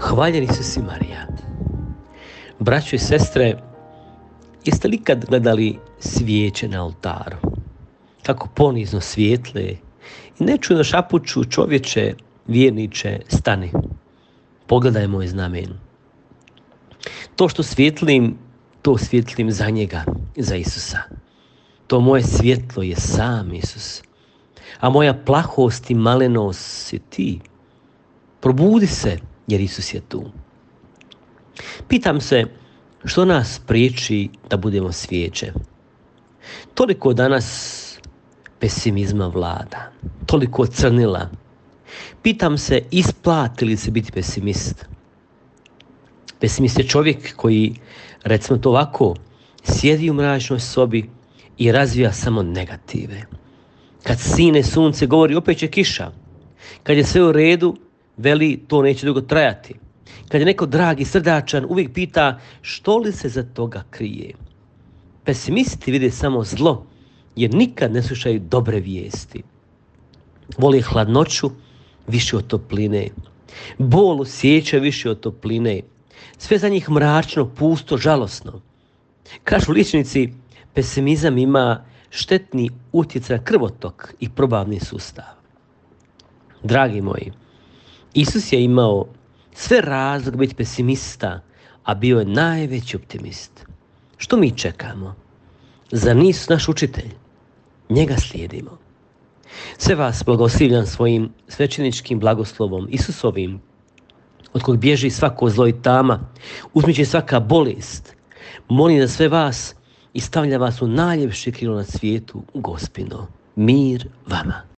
Hvaljen Isus i Marija. Braćo i sestre, jeste li kad gledali svijeće na oltaru? Kako ponizno svijetle i nečujno šapuću: čovječe, vjerniče, stani. Pogledaj moj znamen. To što svjetlim, to svjetlim za njega, za Isusa. To moje svjetlo je sam Isus. A moja plahost i malenost si ti. Probudi se, jer Isus je tu. Pitam se, što nas priječi da budemo svijeće? Toliko danas pesimizma vlada, toliko crnila. Pitam se, isplati li se biti pesimist? Pesimist je čovjek koji, recimo to ovako, sjedi u mračnoj sobi i razvija samo negative. Kad sine sunce, govori opet će kiša. Kad je sve u redu, veli to neće dugo trajati. Kad je neko drag i srdačan, uvijek pita što li se za toga krije. Pesimisti vide samo zlo, jer nikad ne slušaju dobre vijesti. Vole hladnoću više od topline. Bol osjećaju više od topline. Sve za njih mračno, pusto, žalosno. Kažu liječnici, pesimizam ima štetni utjecaj na krvotok i probavni sustav. Dragi moji, Isus je imao sve razlog biti pesimista, a bio je najveći optimist. Što mi čekamo? Za Isus naš učitelj. Njega slijedimo. Sve vas blagoslivljam svojim svećeničkim blagoslovom Isusovim, od kog bježi svako zlo i tama, uzmiče svaka bolest. Molim za sve vas i stavlja vas u najljepše krilo na svijetu, Gospino. Mir vama.